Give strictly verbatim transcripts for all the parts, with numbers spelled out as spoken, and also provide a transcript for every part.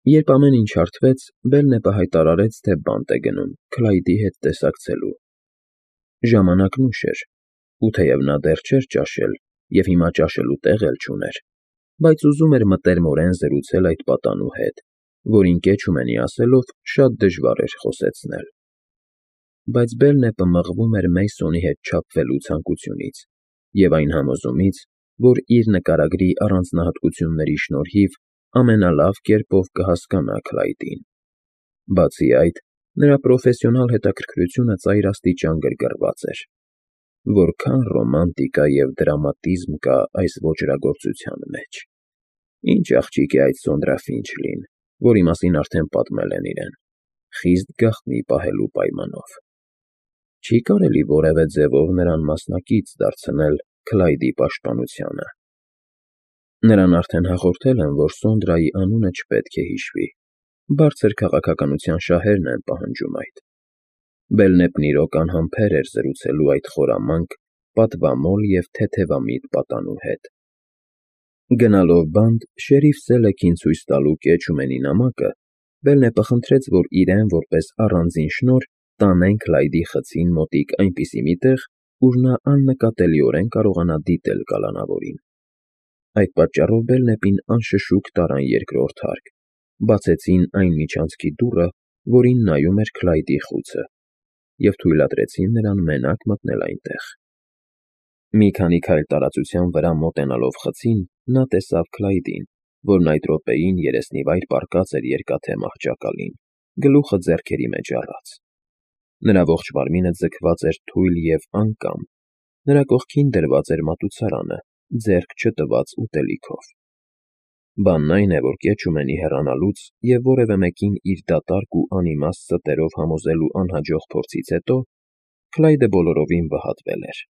Երբ ամեն ինչ հարթվեց, Բելնեպը հայտարարեց, թե բանտ է գնում Քլայդի հետ տեսակցելու։ Ժամանակն ուշ էր, ու թեև նա դեռ չէր ճաշել և հիմա ճաշելու տեղ էլ չուներ, բայց ուզում էր մտերմորեն զրուցել այդ պատանու հետ, որին կեչումենի ասելով շատ դժվար էր խոսեցնել։ Բայց Բելնեպը մղվում էր Մեյսոնի հետ չափվելու ցանկությունից և այն համոզումից, որ իր նկարագրի առանձնահատկությունների շնորհիվ ամենալավ կերպով կհասկանա Քլայդին։ Բացի այդ, նրա պրոֆեսիոնալ հետաքրքրությունը ծայրաստիճան գրգռված էր։ Որքան ռոմանտիկա և դրամատիզմ կա այս ոճրագործության մեջ։ Ինչ աղջիկ է այդ Սոնդրա Ֆինչլին, որի մասին արդեն պատմել են իրեն, խիստ գաղտնի պահելու պայմանով։ Չի կարելի որևէ ձևով նրան մասնակից դարձնել Քլայդի պաշտպանությանը։ Նրան արդեն հաղորդել են, որ Սոնդրայի անունը չպետք է հիշվի, բարձր քաղաքականության շահերն են պահանջում այդ։ Բելնեպն իրոք անհամբեր էր զրուցելու այդ խորամանկ, պատվամոլ և թեթևամիտ պատանու հետ։ Գնալով բանտ շերիֆ Սելեքին ցույց տալու կեչումենի նամակը, Բելնեպը խնդրեց, որ իրեն որպես առանձին շնորհ տանեն Քլայդի խցին մոտիկ այնպիսի մի տեղ, ուր նա աննկատելիորեն կարողանա դիտել կալանավորին։ Այդ պատճառով Բելնեպին անշշուկ տարան երկրորդ հարկ, բացեցին այն միջանցքի դուռը, որին նայում էր Քլայդի խուցը, և թույլատրեցին նրան մենակ մտնել այնտեղ։ Մի քանի քայլ տարածության վրա մոտենալով խցին, նա տեսավ Քլայդին, որն այդ րոպեին երեսնիվայր պառկած էր երկաթե մահճակալին, գլուխը ձեռքերի մեջ առած։ Նրա ողջ մարմինը ձգված էր թույլ և անկամ, նրա կողքին դրված էր մատուցարանը, ձեռք չտված ուտելիքով։ Բանն այն է, որ կեչումենի հեռանալուց և որևէ մեկին իր դատարկ ու անիմաստ ստերով համոզելու անհաջող փորձից հետո Քլայդը բոլորովին վհատվել էր։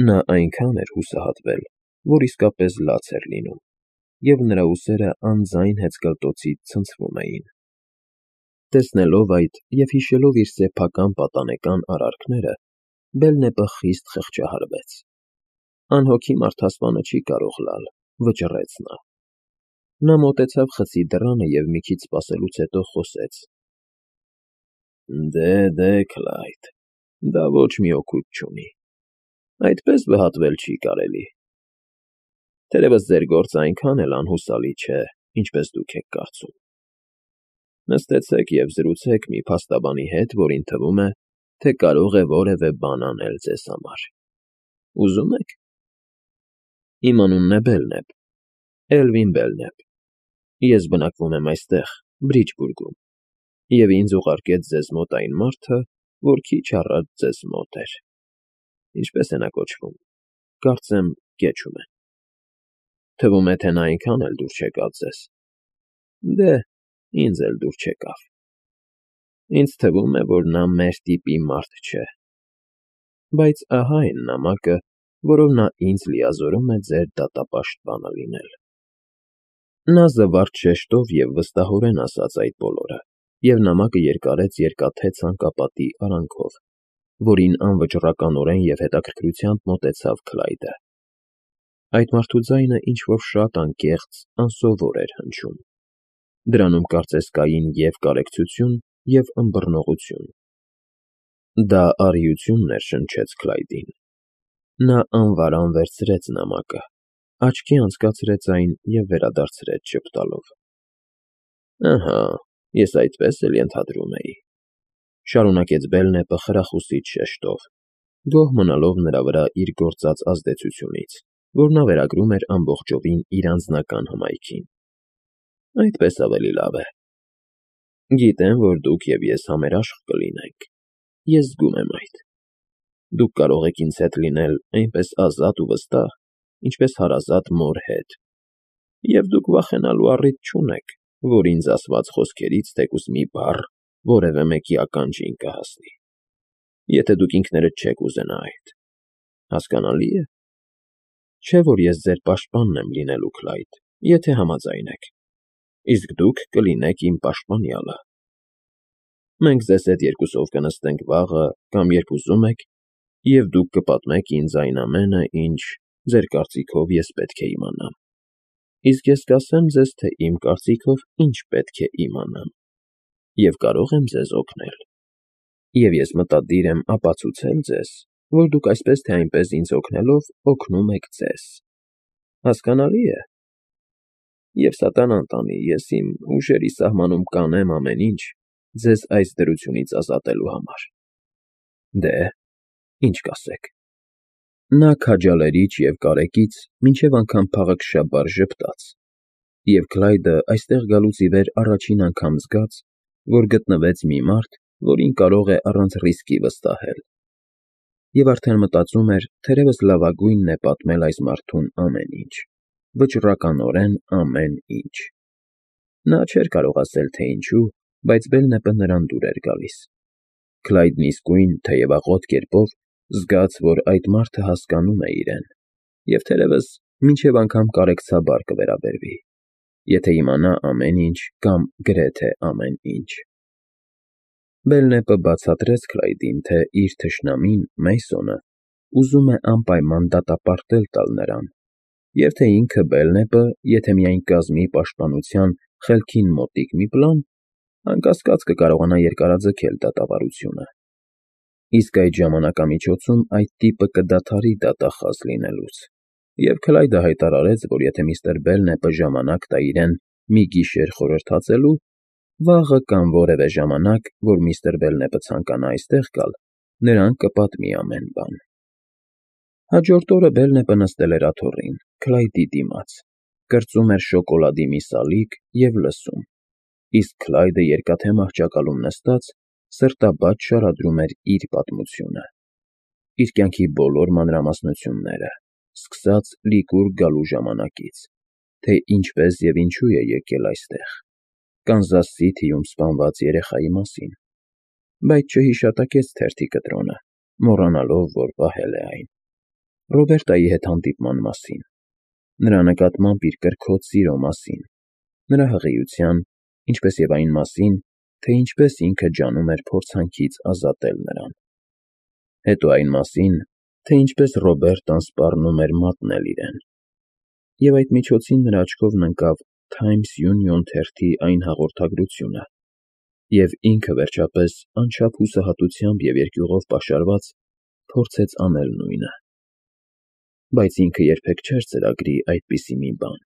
Նա այնքան էր հուսահատվել, որ իսկապես լաց էր լինում, և նրա ուսերը անձայն հեծկլտոցից ցնցվում էին։ Տեսնելով այդ և հիշելով իր սեփական պատանեկան արարքները, Բելնեպը խիստ խղճահարվեց։ Անհոգի մարդասպանը չի կարող լալ, վճռեց նա։ Նա մոտեցավ խցի դռանը և մի քիչ սպասելուց հետո խոսեց. Դե, դե, Քլայդ, դա ոչ մի օգուտ չունի, այդպես վհատվել չի կարելի։ Թերևս ձեր գործն այնքան էլ անհուսալի չէ, ինչպես դուք եք կարծում։ Նստեցեք և զրուցեք մի փաստաբանի հետ, որին թվում է, թե կարող է որևէ բան անել ձեզ համար։ Ուզո՞ւմ եք։ Իմ անունն է Բելնեպ, Էլվին Բելնեպ։ Ես բնակվում եմ այստեղ, Բրիջբուրգում, և ինձ ուղարկեց ձեզ մոտ այն մարդը, որ քիչ առաջ ձեզ մոտ էր։ Ինչպե՞ս է նա կոչվում։ Կարծեմ Կեչումեն։ Թվում է, թե նա այնքան էլ դուր չեկավ ձեզ։ Դե, ինձ էլ դուր չեկավ։ Ինձ թվում է, որ նա մեր տիպի մարդ չէ։ Բայց ահա այն նամակը, որով նա ինձ լիազորում է ձեր դատապաշտպանը լինել։ Նա զվարթ շեշտով և վստահորեն ասաց այդ բոլորը, և նամակը երկարեց երկաթե ցանկապատի արանքով, որին անվճռականորեն և հետաքրքրությամբ մոտեցավ Քլայդը։ Այդ մարդու ձայնը ինչ֊որ շատ անկեղծ, անսովոր էր հնչում։ Դրանում կարծես կային և կարեկցություն, և ըմբռնողություն։ Դա առիությունն էր շնչեց Քլայդին։ Նա անվարան վերցրեց նամակը, աչքի անցկացրեց այն և վերադարձրեց ժպտալով։ Ահա, ես այդպես էլ ենթադրում էի,֊ շարունակեց Բելնեպը խրախուսիչ շեշտով, գոհ մնալով նրա վրա իր գործած ազդեցությունից, որ նա վերագրում էր ամբողջովին իր անձնական հմայքին։ Այդպես ավելի լավ է։ Գիտեմ, որ դուք և ես համերաշխ կլինենք։ Ես զգում եմ այդ։ Դուք կարող եք ինձ հետ լինել այնպես ազատ ու վստահ, ինչպես հարազատ մոր հետ, և դուք վախենալու առիթ չունեք, որ ինձ ասված խոսքերից թեկուզ մի բառ որևէ մեկի ականջին կհասնի, եթե դուք ինքներդ չեք ուզենա այդ։ Հասկանալի՞ է։ Չէ՞ որ ես ձեր պաշտպանն եմ լինելու, Քլայդ, եթե համաձայն եք, իսկ դուք կլինեք իմ պաշտպանյալը։ Մենք ձեզ հետ երկուսով կնստենք վաղը կամ երբ ուզում եք, և դուք կպատմեք ինձ այն ամենը, ինչ, ձեր կարծիքով, ես պետք է իմանամ։ Իսկ ես կասեմ ձեզ, թե իմ կարծիքով ինչ պետք է իմանամ, և կարող եմ ձեզ օգնել, և ես մտադիր եմ ապացուցել ձեզ, որ դուք այսպես թե այնպես ինձ օգնելով օգնում եք ձեզ, հասկանալի՞ է։ Եվ սատանան տանի, ես իմ ուժերի սահմանում կանեմ ամեն ինչ ձեզ այս դրությունից ազատելու համար։ Դե, ի՞նչ կասեք։ Նա քաջալերիչ և կարեկից մինչև անգամ փաղաքշաբար ժպտաց, և Քլայդը այստեղ գալուց ի վեր առաջին անգամ զգաց, որ գտնվեց մի մարդ, որին կարող է առանց ռիսկի վստահել, և արդեն մտածում էր թերևս լավագույնն է պատմել այս մարդուն ամեն ինչ, վճռականորեն ամեն ինչ։ Նա չէր կարող ասել, թե ինչու, բայց Բելնեպը նրան դուր էր գալիս։ Քլայդն իսկույն, թեև աղոտ կերպով, զգաց, որ այդ մարդը հասկանում է իրեն, և թերևս մինչև անգամ կարեկցաբար կվերաբերվի, եթե իմանա ամեն ինչ կամ գրեթե ամեն ինչ։ Բելնեպը բացատրեց Քլայդին, թե իր թշնամին՝ Մեյսոնը, ուզում է անպայման դատապարտել տալ նրան, և թե ինքը՝ Բելնեպը, եթե միայն կազմի պաշտպանության խելքին մոտիկ մի պլան, անկասկած կկարողանա երկարաձգել դատավարությունը։ Իսկ այդ ժամանակամիջոցում այդ տիպը կդադարի դատախազ լինելուց, և Քլայդը հայտարարեց, որ եթե միստր Բելնեպը ժամանակ տա իրեն մի գիշեր խորհրդածելու, վաղը կամ որևէ ժամանակ, որ միստր Բելնեպը ցանկանա այստեղ գալ, նրան կպատմի ամեն բան։ Հաջորդ օրը Բելնեպը նստել էր աթոռին, Քլայդի դիմաց, կրծում էր շոկոլադի մի սալիկ և լսում, իսկ Քլայդը երկաթե մահճակալում նստած, սրտաբաց շարադրում էր իր պատմությունը, իր կյանքի բոլոր մանրամասնությունները, սկսած լիկուր գալու ժամանակից, թե ինչպես և ինչու է եկել այստեղ, Կանզաս Սիթիում սպանված երեխայի մասին, բայց չհիշատակեց թերթի կտրոնը, մոռանալով, որ պահել է այն, Ռոբերտայի հետ հանդիպման մասին, նրա նկատմամբ իր կրքոտ սիրո մասին, նրա հղիության, ինչպես և այն մասին, թե ինչպես ինքը ջանում էր փորձանքից ազատել նրան, հետո այն մասին, թե ինչպես Ռոբերտան սպառնում էր մատնել իրեն, և այդ միջոցին նրա աչքովն ընկավ Times Union թերթի այն հաղորդագրությունը, և ինքը, վերջապես, անչափ հուսահատությամբ և երկյուղով պաշարված, փորձեց անել նույնը։ Բայց ինքը երբեք չէր ծրագրի այդպիսի մի բան։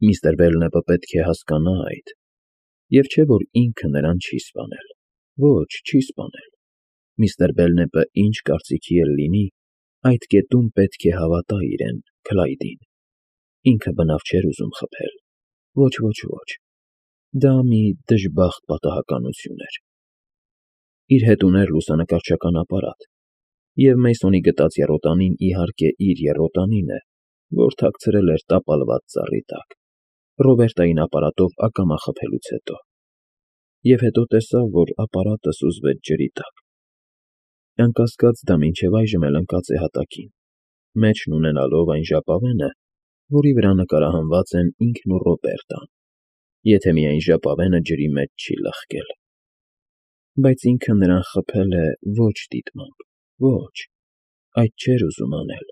Միստր Բելնեպը պետք է հասկանա այդ, և չէ՞ որ ինքը նրան չի սպանել, ոչ, չի սպանել։ Միստր Բելնեպը ինչ կարծիքի էլ լինի, այդ կետում պետք է հավատա իրեն՝ Քլայդին։ Ինքը բնավ չէր ուզում խփել։ Ոչ, ոչ, ոչ։ Դա մի դժբախտ պատահականություն էր։ Իր հետ ուներ լուսանկարչական ապարատ, և Մեյսոնի գտած եռոտանին, իհարկե, իր եռոտանին է, որ թաքցրել էր տապալված ծառի տակ, Ռոբերտային ապարատով ակամա խփելուց հետո, և հետո տեսավ, որ ապարատը սուզվեց ջրի տակ։ Անկասկած, դա մինչև այժմ էլ ընկած է հատակին, մեջն ունենալով այն ժապավենը, որի վրա նկարահանված են ինքն ու Ռոբերտան, եթե միայն ժապավենը ջրի մեջ չի լխկել։ Բայց ինքը նրան խփել է ոչ դիտմամբ, ոչ, այդ չէր ուզում անել։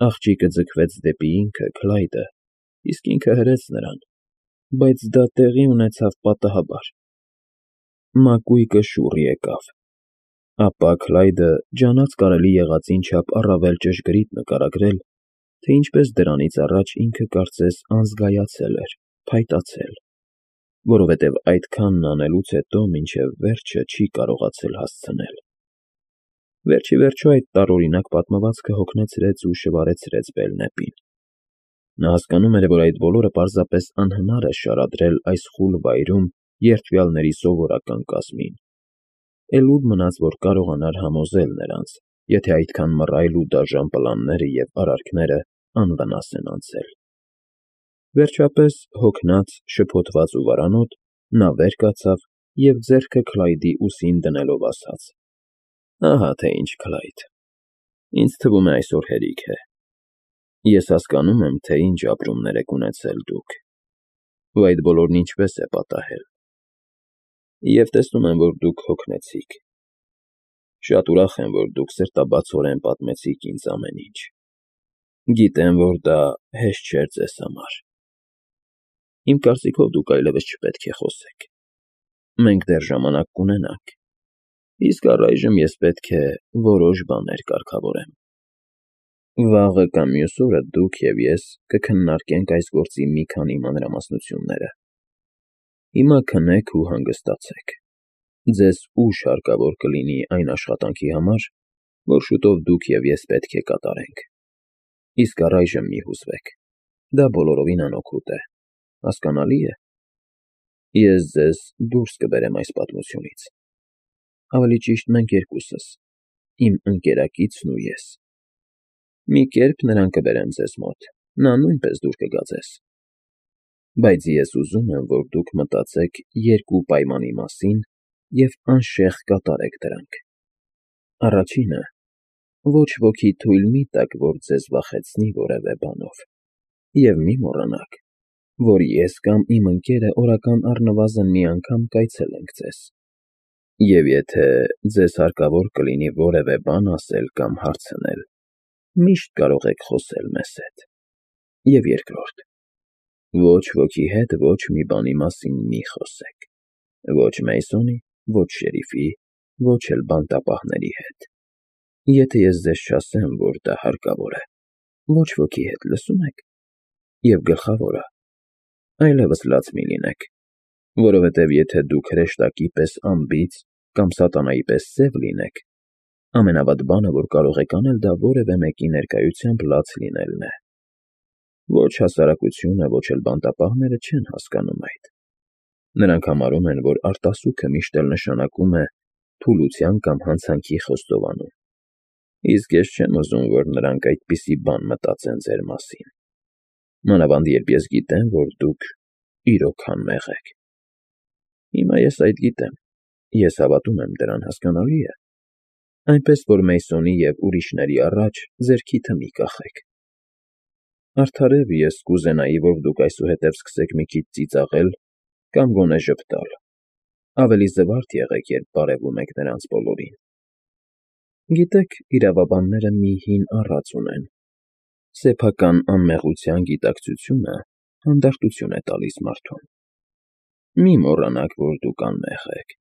Աղջիկը ձգվեց դեպի ինքը՝ Քլայդը, իսկ ինքը հրեց նրան, բայց դա տեղի ունեցավ պատահաբար։ Մակույկը շուռ եկավ։ Ապա Քլայդը ջանաց կարելի եղածին չափ առավել ճշգրիտ նկարագրել, թե ինչպես դրանից առաջ ինքը կարծես անզգայացել էր, փայտացել, որովհետև այդքանն անելուց հետո մինչև վերջը չի կարողացել հասցնել։ Վերջիվերջո այդ տարօրինակ պատմվածքը հոգնեցրեց ու շվարեցրեց Բելնեպին։ Նա հասկանում էր, որ այդ բոլորը պարզապես անհնար է շարադրել այս խուլ վայրում երդվյալների սովորական կազմին, էլ ուր մնաց, որ կարողանար համոզել նրանց, եթե այդքան մռայլ ու դաժան պլանները և արարքները անվնաս են անցել։ Վերջապես, հոգնած, շփոթված ու վարանոտ, նա վեր կացավ և ձեռքը Քլայդի ուսին դնելով ասաց. «Ահա թե ինչ, Քլայդ, ինձ թվում է այսօր հերիք է։ Ես հասկանում եմ, թե ինչ ապրումներ եք ունեցել դուք, ու այդ բոլորն ինչպես է պատահել։ Եվ տեսնում եմ, որ դուք հոգնեցիք։ Շատ ուրախ եմ, որ դուք սրտաբացորեն պատմեցիք ինձ ամեն ինչ։ Գիտեմ, որ դա հեշտ չէր ձեզ համար։ Իմ կարծիքով դուք այլևս չպետք է խոսեք։ Մենք դեռ ժամանակ կունենանք, իսկ առայժմ ես պետք է որոշ բաներ կարգավորեմ։ Վաղը կամ մյուս օրը դուք և ես կքննարկենք այս գործի մի քանի մանրամասնությունները։ Հիմա քնեք ու հանգստացեք։ Ձեզ ուժ հարկավոր կլինի այն աշխատանքի համար, որ շուտով դուք և ես պետք է կատարենք։ Իսկ առայժմ մի հուզվեք, դա բոլորովին անօգուտ է, հասկանալի է։ Ես ձեզ դուրս կբերեմ այս պատմությունից։ Ավելի ճիշտ մենք երկուսս, իմ ընկերակիցն ու ես։ Մի կերպ նրան կբերեմ ձեզ մոտ, նա նույնպես դուր կգա ձեզ։ Բայց ես ուզում եմ, որ դուք մտածեք երկու պայմանի մասին և անշեղ կատարեք դրանք։ Առաջինը. ոչ ոքի թույլ մի տաք, որ ձեզ վախեցնի որևէ բանով, և մի մոռանաք, որ ես կամ իմ ընկերը օրական առնվազն մի անգամ կայցելենք ձեզ, և եթե ձեզ հարկավոր կլինի որևէ բան ասել կամ հարցնել, միշտ կարող եք խոսել մեզ հետ։ Եվ երկրորդ. ոչ ոքի հետ ոչ մի բանի մասին մի խոսեք, ոչ Մեյսոնի, ոչ շերիֆի, ոչ էլ բանտապահների հետ։ Եթե ես ձեզ չասեմ, որ դա հարկավոր է, ոչ ոքի հետ, լսո՞ւմ եք։ Եվ գլխավորը, այլևս լաց մի լինեք, որովհետև եթե դուք հրեշտակի պես անբիծ կամ սատանայի պես սև լինեք, ամենավատ բանը, որ կարող եք անել, դա որևէ մեկի ներկայությամբ լաց լինելն է։ Ոչ հասարակությունը, ոչ էլ բանտապահները չեն հասկանում այդ։ Նրանք համարում են, որ արտասուքը միշտ էլ նշանակում է թուլության կամ հանցանքի խոստովանում, իսկ ես չեմ ուզում, որ նրանք այդպիսի բան մտածեն ձեր մասին, մանավանդ երբ ես գիտեմ, որ դուք իրոք անմեղ եք։ Հիմա ես այդ գիտեմ, ես հավատում եմ դրան, հասկանալի է, այնպես որ Մեյսոնի և ուրիշների առաջ ձեր քիթը մի կախեք։ Արդարև ես կուզենայի, որ դուք այսուհետև սկսեք մի քիչ ծիծաղել կամ գոնե ժպտալ, ավելի զվարթ եղեք, երբ բարևում եք նրանց բոլորին։ Գիտեք, իրավաբանները մի հին առած ունեն. սեփական անմեղության գիտակցությունը հանդարտություն է տալիս մարդուն։ Մի մոռանաք, որ դուք անմեղ եք,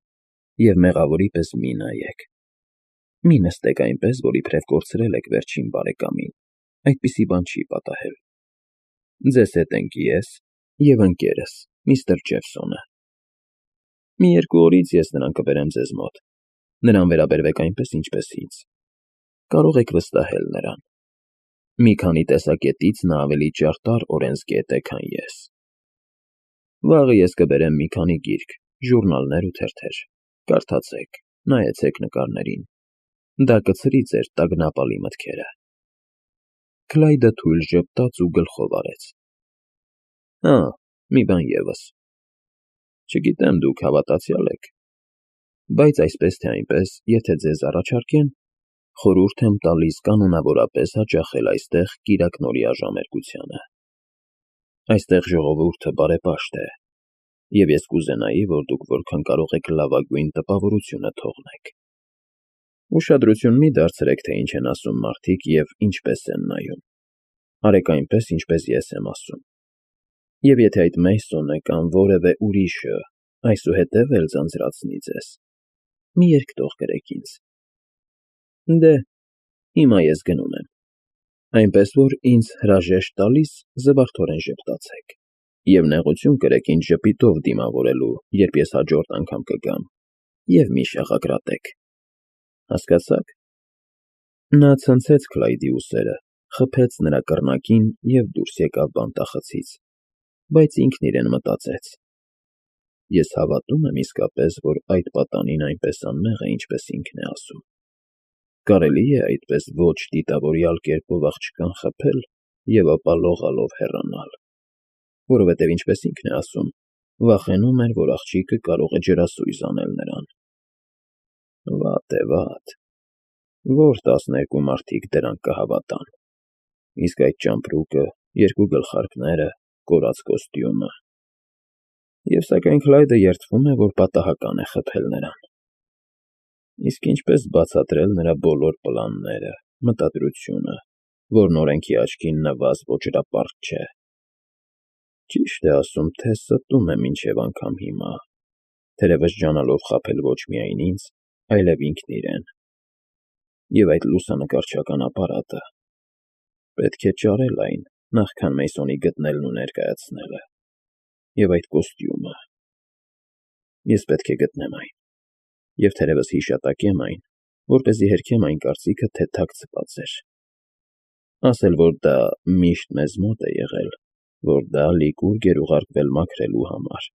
և մեղավորի պես մի նայեք։ Մի նստեք այնպես, որ իբրև կորցրել եք վերջին բարեկամին, այդպիսի բան չի պատահել։ Ձեզ հետ ենք ես և ընկերս, միստր Ջեֆսոնը։ Մի երկու օրից ես նրան կբերեմ ձեզ մոտ, նրան վերաբերվեք այնպես, ինչպես ինձ։ Կարող եք վստահել նրան։ Մի քանի տեսակետից նա ավելի ճարտար օրենսգետ է, քան ես։ Վաղը ես կբերեմ մի քանի գիրք, ժուրնալներ ու թերթեր, կարդացեք, նայեցեք նկարներին, դա կցրի ձեր տագնապալի մտքերը։ Քլայդը թույլ ժպտաց ու գլխով արեց։ Հա, մի բան ևս։ Չգիտեմ դուք հավատացյալ եք, բայց այսպես թե այնպես, եթե ձեզ առաջարկեն, խորհուրդ եմ տալիս կանոնավորապես հաճախել այստեղ կիրակնօրյա ժամերկությանը։ Այստեղ ժողովուրդը բարեպաշտ է, և ես կուզենայի, որ դուք որքան կարող եք լավագույն տպավորությունը թողնեք։ Ուշադրություն մի դարձրեք, թե ինչ են ասում մարդիկ և ինչպես են նայում։ Արեք այնպես, ինչպես ես եմ ասում։ Եվ եթե այդ Մեյսոնը կամ որևէ ուրիշը այսուհետև էլ ձանձրացնի ձեզ, մի երկտող կրեք ինձ։ Դե, հիմա ես գնում եմ, այնպես որ ինձ հրաժեշտ տալիս զվարթորեն ժպտացեք և նեղություն կրեք ինձ ժպիտով դիմավորելու, երբ ես հաջորդ անգամ կգամ, և մի շաղակրատեք։ Հասկացա՞ք։ Նա ցնցեց Քլայդի ուսերը, խփեց նրա կռնակին և դուրս եկավ բանտախցից, բայց ինքն իրեն մտածեց. ես հավատում եմ իսկապես, որ այդ պատանին այնպես անմեղ է, ինչպես ինքն է ասում։ Կարելի է այդպես ոչ դիտավորյալ կերպով աղջկան խփել և ապա լողալով հեռանալ, որովհետև ինչպես ինքն է ասում, վախենում էր, որ աղջիկը կարող է ջրասույզ անել նրան։ Վատ է, վատ, որ տասներկու մարդիկ դրանք կհավատան, իսկ այդ ճամպրուկը, երկու գլխարկները, կորացած կոստյումը։ Եվ սակայն Քլայդը երդվում է, որ պատահական է խփել նրան։ Իսկ ինչպես բացատրել նրա բոլոր պլանները, մտադրությունը, որն օրենքի աչքին նվազ ոճրապարտ չէ։ Ճիշտ է ասում, թե ստում է մինչև անգամ հիմա, թերևս ջանալով խաբել ոչ միայն ինձ, այլև ինքն իրեն։ Եվ այդ լուսանկարչական ապարատը… Պետք է ճարել այն, նախքան Մեյսոնի գտնելն ու ներկայացնելը։ Եվ այդ կոստյումը… Ես պետք է գտնեմ այն, և թերևս հիշատակեմ այն, որպեսզի հերքեմ այն կարծիքը, թե թաքցված էր։ Ասել, որ դա միշտ մեզ մոտ է եղել, որ դա լիկուր գերուղարկվել մաքրելու համար։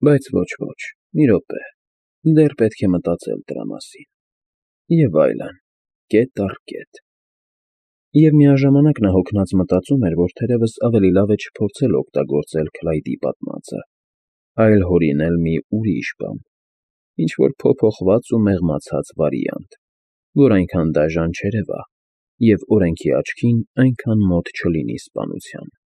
Բայց ոչ, մի րոպե, դեռ պետք է մտածել դրա մասին… Եվ այլն, կետ առ կետ… Եվ միաժամանակ նա հոգնած մտածում էր, որ թերևս ավելի լավ է չփորձել օգտագործել Քլայդի պատմածը, այլ հորինել մի ուրիշ բան, ինչ֊որ փոփոխված ու մեղմացած վարիանտ, որ այնքան դաժան չերևա և օրենքի աչքին այնքան մոտ չլինի սպանությանը։